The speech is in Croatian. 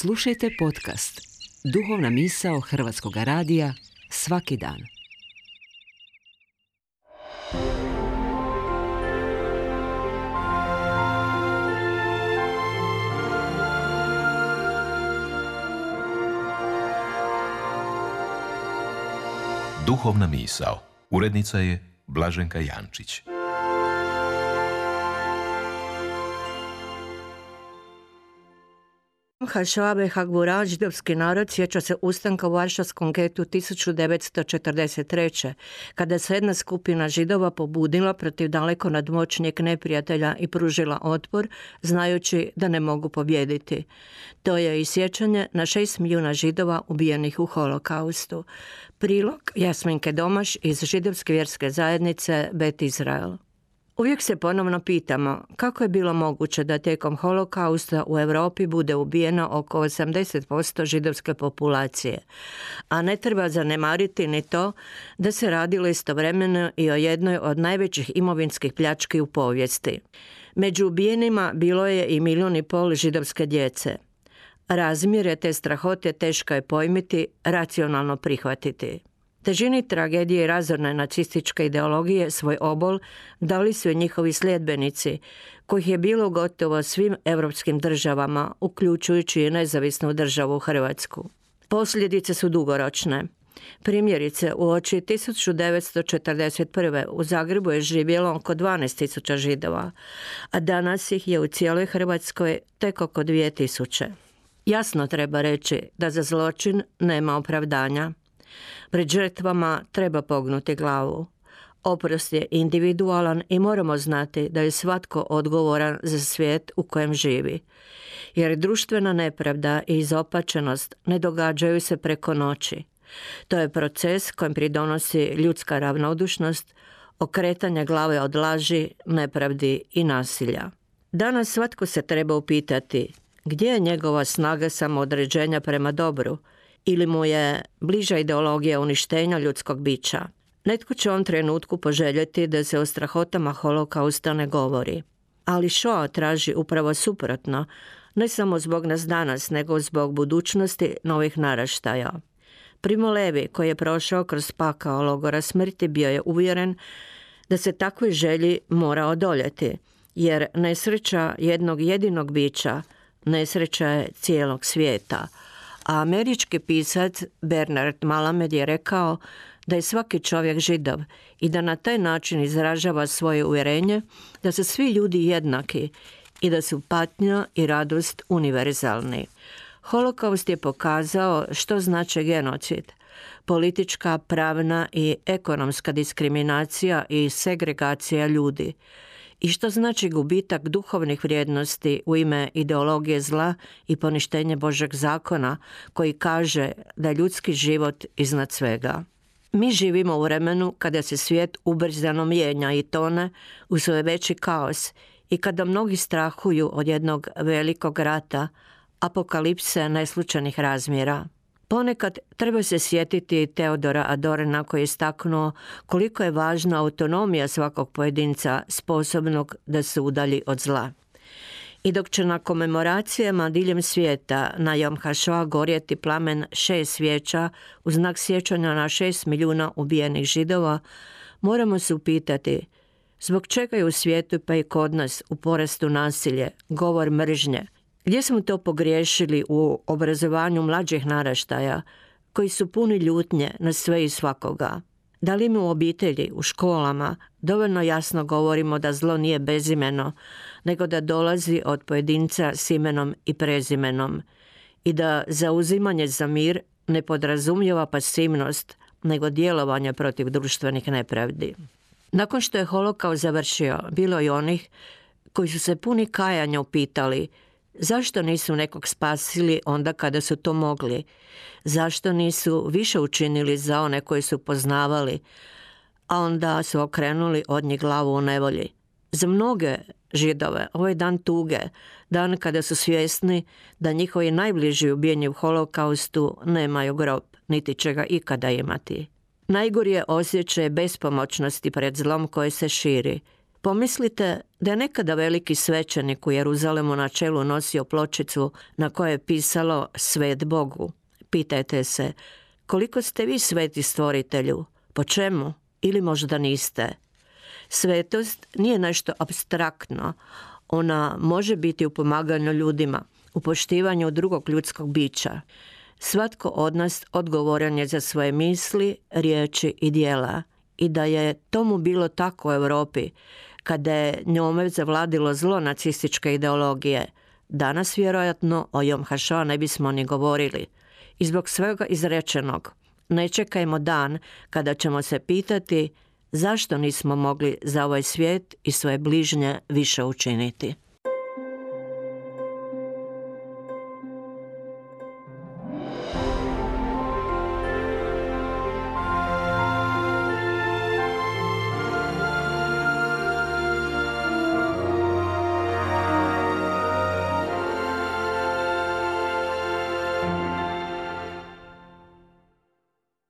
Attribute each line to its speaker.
Speaker 1: Slušajte podcast Duhovna misao Hrvatskog radija svaki dan.
Speaker 2: Duhovna misao. Urednica je Blaženka Jančić.
Speaker 3: Hašabe Hagbura, židovski narod, sjeća se ustanka u Varšavskom getu 1943. kada se jedna skupina Židova pobudila protiv daleko nadmoćnijeg neprijatelja i pružila otpor, znajući da ne mogu pobijediti. To je i sjećanje na 6 milijuna Židova ubijenih u holokaustu. Prilog Jasminke Domaš iz židovske vjerske zajednice Bet Izrael. Uvijek se ponovno pitamo kako je bilo moguće da tijekom holokausta u Europi bude ubijeno oko 80% židovske populacije, a ne treba zanemariti ni to da se radilo istovremeno i o jednoj od najvećih imovinskih pljački u povijesti. Među ubijenima bilo je i 1,5 milijuna židovske djece. Razmjere te strahote teško je pojmiti, racionalno prihvatiti. Težini tragedije i razorne nacističke ideologije svoj obol dali su i njihovi sljedbenici, kojih je bilo gotovo svim europskim državama, uključujući i nezavisnu državu Hrvatsku. Posljedice su dugoročne. Primjerice, uoči 1941. u Zagrebu je živjelo oko 12.000 Židova, a danas ih je u cijeloj Hrvatskoj tek oko 2.000. Jasno treba reći da za zločin nema opravdanja. Pred žrtvama treba pognuti glavu. Oprost je individualan i moramo znati da je svatko odgovoran za svijet u kojem živi. Jer društvena nepravda i izopačenost ne događaju se preko noći. To je proces kojem pridonosi ljudska ravnodušnost, okretanje glave od laži, nepravdi i nasilja. Danas svatko se treba upitati gdje je njegova snaga samoodređenja prema dobru, ili mu je bliža ideologija uništenja ljudskog bića. Netko će u ovom trenutku poželjeti da se o strahotama holokausta ne govori. Ali Šoa traži upravo suprotno, ne samo zbog nas danas, nego zbog budućnosti novih naraštaja. Primo Levi, koji je prošao kroz pakao logora smrti, bio je uvjeren da se takvoj želji mora odoljeti, jer nesreća jednog jedinog bića, nesreća je cijelog svijeta. A američki pisac Bernard Mallamed je rekao da je svaki čovjek Židov i da na taj način izražava svoje uvjerenje da su svi ljudi jednaki i da su patnja i radost univerzalni. Holokaust je pokazao što znači genocid, politička, pravna i ekonomska diskriminacija i segregacija ljudi. I što znači gubitak duhovnih vrijednosti u ime ideologije zla i poništenje Božeg zakona koji kaže da je ljudski život iznad svega. Mi živimo u vremenu kada se svijet ubrzano mijenja i tone u sve veći kaos i kada mnogi strahuju od jednog velikog rata, apokalipse neslučajnih razmjera. Ponekad treba se sjetiti Teodora Adorna koji je istaknuo koliko je važna autonomija svakog pojedinca sposobnog da se udalji od zla. I dok će na komemoracijama diljem svijeta na Jom HaShoah gorjeti plamen 6 svijeća u znak sjećanja na 6 milijuna ubijenih Židova, moramo se upitati zbog čega je u svijetu pa i kod nas u porastu nasilje, govor mržnje. Gdje smo to pogriješili u obrazovanju mlađih naraštaja koji su puni ljutnje na sve i svakoga? Da li mi u obitelji, u školama dovoljno jasno govorimo da zlo nije bezimeno, nego da dolazi od pojedinca s imenom i prezimenom i da zauzimanje za mir ne podrazumijeva pasivnost, nego djelovanje protiv društvenih nepravdi? Nakon što je holokaust završio, bilo je onih koji su se puni kajanja upitali zašto nisu nekog spasili onda kada su to mogli? Zašto nisu više učinili za one koji su poznavali, a onda su okrenuli od njih glavu u nevolji? Za mnoge Židove ovo je dan tuge, dan kada su svjesni da njihovi najbliži ubijeni u holokaustu nemaju grob, niti će ga ikada imati. Najgori je osjećaj bespomoćnosti pred zlom koje se širi. Pomislite da je nekada veliki svećenik u Jeruzalemu na čelu nosio pločicu na kojoj je pisalo Svet Bogu. Pitajte se, koliko ste vi sveti stvoritelju? Po čemu? Ili možda niste? Svetost nije nešto apstraktno. Ona može biti u pomaganju ljudima, u poštivanju drugog ljudskog bića. Svatko od nas odgovoran je za svoje misli, riječi i djela. I da je tomu bilo tako u Europi, kada je njome zavladilo zlo nacističke ideologije, danas vjerojatno o Jom HaShoah ne bismo ni govorili. I zbog svega izrečenog, ne čekajmo dan kada ćemo se pitati zašto nismo mogli za ovaj svijet i svoje bližnje više učiniti.